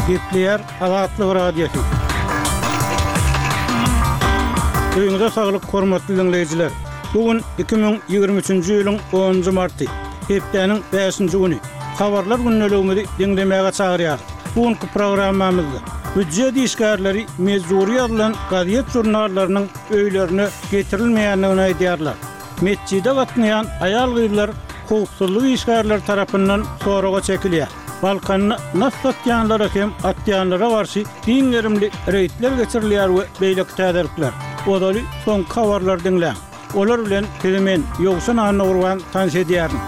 Gepleýär Azatlyk Radiosy. Öýüňize saglyk, hormatly diňleýjiler! Bu gün 2023-nji ýylyň onunjy marty, hepdäniň bäşinji güni. Habarlar gündeligimizi diňlemäge çagyrýarys. Bu günki programmamyzda býujet işgärleri mejbury ýazylan gazet-žurnallarynyň öýlerine getirilmeýändigini aýdýarlar. Metjide gatnaýan aýal-gyzlar howpsuzlyk işgärleri tarapyndan soraga çekilýär. Balkanda nas satýanlara hem atýanlara garşy giň gerimli reýdler geçirilýär we beýleki täzelikler. Ozaly soňky habarlary diňläň. Olar bilen sizi men, Ýowşan Annagurban tanyş edýärin.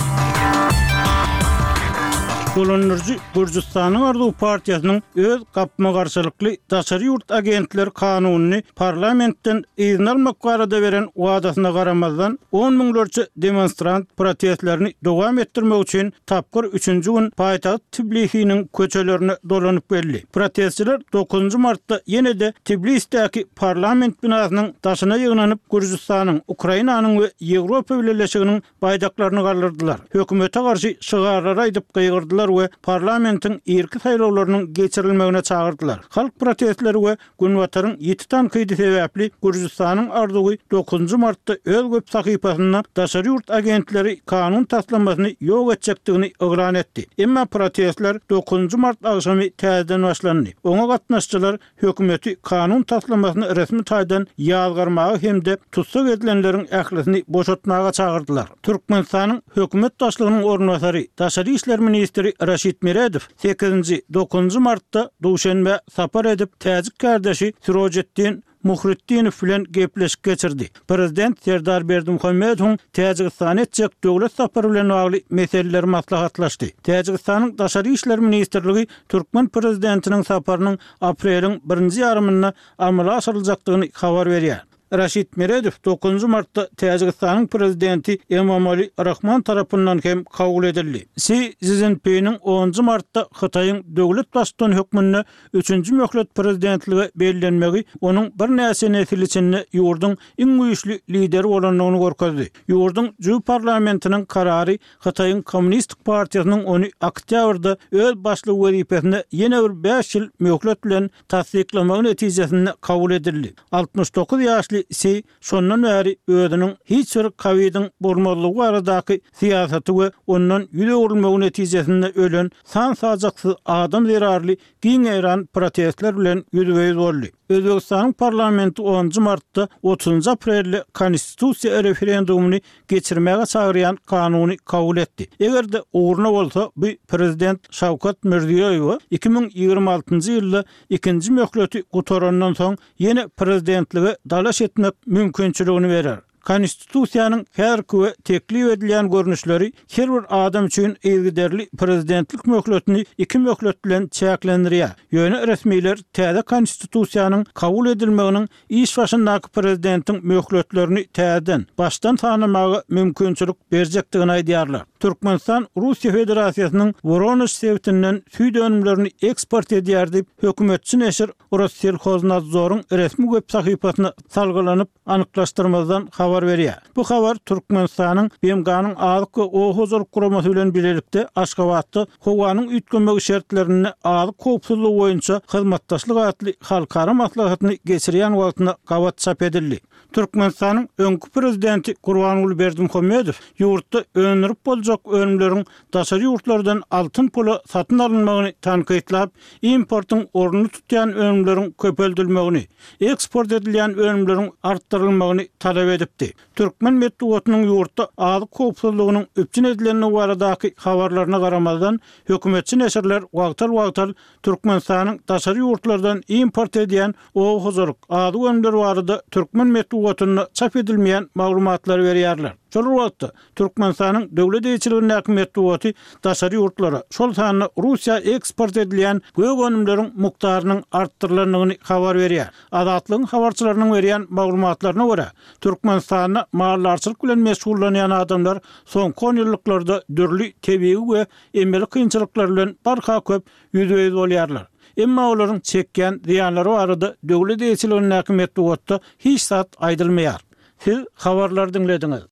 Dolandyryjy Gürjüstanyň Arzuw partiýasynyň öz gapma-garşylykly daşary ýurt agentleri kanunyny parlamentden yzyna almak barada beren wadasyna garamazdan, on müňlerçe demonstrant protestlerini dowam etdirmek üçin tapgyr üçünji gün paýtagt Tbilisiniň köçelerine dolanyp geldi. Protestçiler dokuzynjy martda ýene-de Tbilisdäki parlament binasynyň daşyna ýygnanyp, Gürjüstanyň, Ukrainanyň we Ýewropa Bileleşiginiň baýdaklaryny galdyrdylar, hökümete garşy şygarlary aýdyp gygyrdylar we parlamentiň irki saýlawlarynyň geçirilmegine çagyrdylar. Halk protestleri we Günbataryň ýiti tankydy sebäpli Gürjüstanyň arzuwy dokuzynjy martda öz web sahypasynda daşary ýurt agentleri kanun taslamasyny ýok etjekdigini yglan etdi. Emma protestler dokuzynjy mart agşamy täzeden başlandy. Oňa gatnaşyjylar hökümeti kanun taslamasyny resmi taýdan ýazgarmaga hem-de tussag edilenleriň ählisini boşatmaga çagyrdylar. Türkmenistanyň hökümet başlygynyň orunbasary, daşary işler ministri Raşid Meredow sekizinji, dokuzynjy martda Duşenbä sapar edip, täjik kärdeşi Sirojetdin Muhritdinow bilen gepleşik geçirdi. Prezident Serdar Berdimuhamedowyň Täjigistana etjek döwlet sapary bilen bagly meseleleri maslahatlaşdy. Täjigistanyň Daşary işler ministrligi türkmen prezidentiniň saparynyň apreliň birinji ýarymynda amala aşyryljakdygyny habar berýär. Raşid Meredow dokuzynjy martda Täjigistanyň Prezidenti Emomali Rahmon tarapyndan hem kabul edildi. Si Szinpiniň onunjy martda Hytaýyň döwlet baştutany hökmünde üçünji möhlet prezidentlige bellenmegi onuň birnäçe nesil içinde ýurduň iň güýçli lideri bolandygyny görkezdi. Ýurduň jübi parlamentiniň karary Hytaýyň Kommunistik partiýasynyň ony oktýabrda öz başlygy wezipesinde ýene bir bäş ýyl möhlet bilen tassyklamagy netijesinde kabul edildi. 69 ýaşly Si şondan bäri özüniň hiç bir kowidiň bolmazlygy baradaky syýasaty we ondan ýüz öwrülmegi netijesinde ölen san-sajaksyz adam zerarly giň ýaýran protestler bilen ýüzbe-ýüz boldy. Özbegistanyň parlamenti onunjy martda otuzynjy aprelde konstitusiýa referendumyny geçirmäge çagyrýan kanuny kabul etdi. Eger-de ugruna bolsa, bu prezident Şawkat Mirziýoýewe 2026-njy ýylda ikinji möhleti gutarandan soň ýene prezidentlige dalaş etmek mümkinçiligini berer. Konstitusiýanyň häzirki we teklip edilýän görnüşleri her bir adam üçin yzygiderli prezidentlik möhletini iki möhlet bilen çäklendirýär. Ýöne resmiler täze Konstitusiýanyň kabul edilmeginiň iş başyndaky prezidentiň möhletlerini täzeden, başdan sanamaga mümkinçilik berjekdigini aýdýarlar. Türkmenistan Russiýa Federasiýasynyň Woronež sebitinden süýt önümlerini eksport edýär diýip, hökümetçi neşir Rosselhoznadzoryň resmi web sahypasyna salgylanyp, anyklaşdyrmazdan habar berýär. Bu habar Türkmenistanyň BMG-niň Azyk we oba hojalyk guramasy bilen bilelikde Aşgabatda Howanyň üýtgemegi şertlerinde azyk howpsuzlygy boýunça hyzmatdaşlyk atly halkara maslahatyny geçirýän wagtyna gabat çap edildi. Türkmenistanyň öňki prezidenti Gurbanguly Berdimuhamedow ýurtda öndürip boljak önümleriň daşary ýurtlardan altyn pula satyn alynmagyny tankytlap, importyň ornuny tutýan önümleriň köpeldilmegini, eksport edilýän önümleriň artdyrylmagyny talap edipdi. Türkmen metbugatynyň ýurtda azyk howpsuzlygynyň üpjün edilendigi baradaky habarlaryna garamazdan, hökümetçi neşirler wagtal-wagtal Türkmenistanyň daşary ýurtlardan import edýän oba hojalyk, azyk önümleri barada türkmen metbugatynda çap edilmeýän maglumatlary berýärler. Şol bir wagtda, Türkmenistanyň döwlet eýeçiligindäki metbugaty daşary ýurtlara, şol sanda Russiýa eksport edilýän gök önümleriň mukdarynyň artdyrylandygyny habar berýär. Azatlygyň habarçylarynyň berýän maglumatlaryna görä, Türkmenistanda maldarçylyk bilen meşgullanýan adamlar soňky onýyllyklarda dürli tebigy we emeli kynçylyklar bilen barha köp ýüzbe-ýüz bolýarlar. Emma olaryň çekýän zyýanlary barada döwlet eýeçiligindäki metbugatda hiç zat aýdylmaýar. Siz habarlary diňlediňiz.